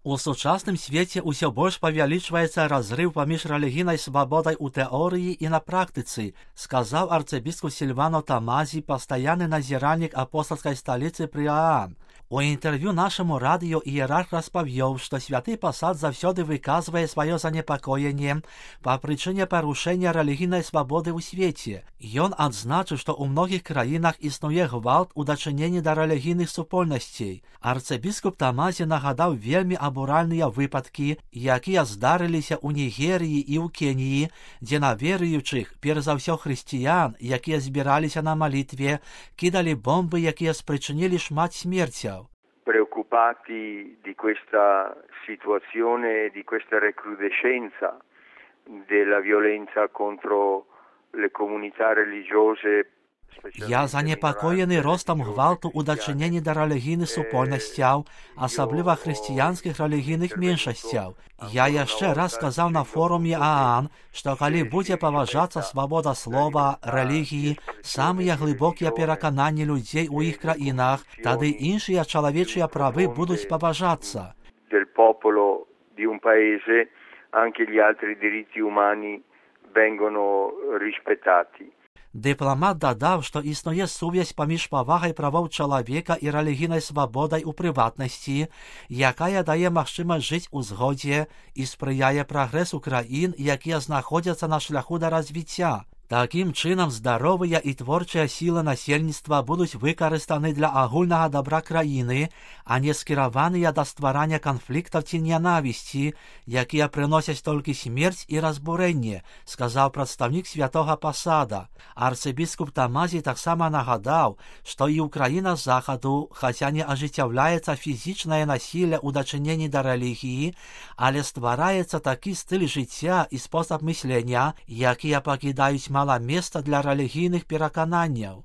У сучасным свеце ўсё больш павялічваецца разрыв паміж рэлігійнай свабодай у тэорыі і на практыцы, сказаў арцыбіскуп Сільвано Тамазі, пастаянны назіральнік апостальскай сталіцы пры Аан. У інтэрв'ю нашаму радыё іерарх распавёў, што святы пасад заўсёды выказвае сваё занепакоенне па прычыне парушэння рэлігійнай свабоды ў свеце. Ён адзначыў, што ў многіх краінах існуе гвалт у дачыненні да рэлігійных супольнасцей. Арцыбіскуп Тамазі нагадаў вельмі абуральныя выпадкі, якія здарыліся ў Нігерыі і ў Кеніі, дзе на веруючых, перш за ўсё хрысціян, якія збіраліся на малітве, кідалі бомбы, якія спрычынілі шмат смерцяў. Preoccupati di questa situazione, di questa recrudescenza della violenza contro le comunità religiose. Я занепакоены ростам гвалту ў дачыненні да рэлігійных супольнасцяў, асабліва хрысціянскіх рэлігійных меншасцяў. Я яшчэ раз сказаў на форуме Аан, што калі будзе паважацца свабода слова, рэлігіі, самыя глыбокія перакананні людзей у іх краінах, тады іншыя чалавечыя правы будуць паважацца. Del popolo di un paese, anche gli altri diritti umani vengono rispettati. Дыпламат дадаў, што існуе сувязь паміж павагай правоў чалавека і рэлігійнай свабодай у прыватнасці, якая дае магчымасць жыць у згодзе і спрыяе прагрэсу краін, якія знаходзяцца на шляху да развіцця. Такім чынам, здаровыя і творчыя сілы насельніцтва будуць выкарыстаны для агульнага дабра краіны, а не скіраваныя да стварання канфліктаў ці нянавісці, якія прыносяць толькі смерць і разбурэнне, сказаў прадстаўнік святога пасада. Арцыбіскуп Тамазі таксама нагадаў, што і ў краінах захаду, хаця не ажыццяўляецца фізічнае насілле ў дачыненні да рэлігіі, але ствараецца такі стыль жыцця і спосаб мыслення, якія пакідаюць мала месца для рэлігійных перакананняў.